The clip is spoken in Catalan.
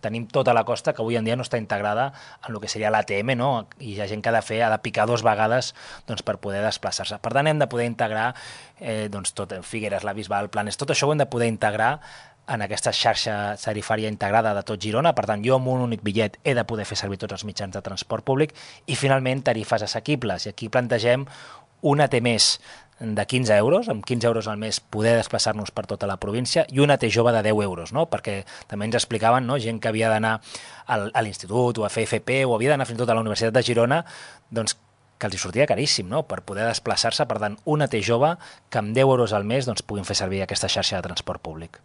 Tenim tota la costa que avui en dia no està integrada en el que seria l'ATM, no? I hi ha gent que ha de picar 2 vegades doncs, per poder desplaçar-se. Per tant, hem de poder integrar doncs, tot, Figueres, la Bisbal, Planes, tot això ho hem de poder integrar en aquesta xarxa tarifària integrada de tot Girona. Per tant, jo amb un únic bitllet he de poder fer servir tots els mitjans de transport públic i, finalment, tarifes assequibles. I aquí plantegem una T més de 15 euros, amb 15 euros al mes poder desplaçar-nos per tota la província, i una T jove de 10 euros, no? Perquè també ens explicaven, no? Gent que havia d'anar a l'institut o a fer FP o havia d'anar fins i tot a la Universitat de Girona, doncs que els hi sortia caríssim, no? Per poder desplaçar-se. Per tant, una T jove que amb 10 euros al mes doncs, puguin fer servir aquesta xarxa de transport públic.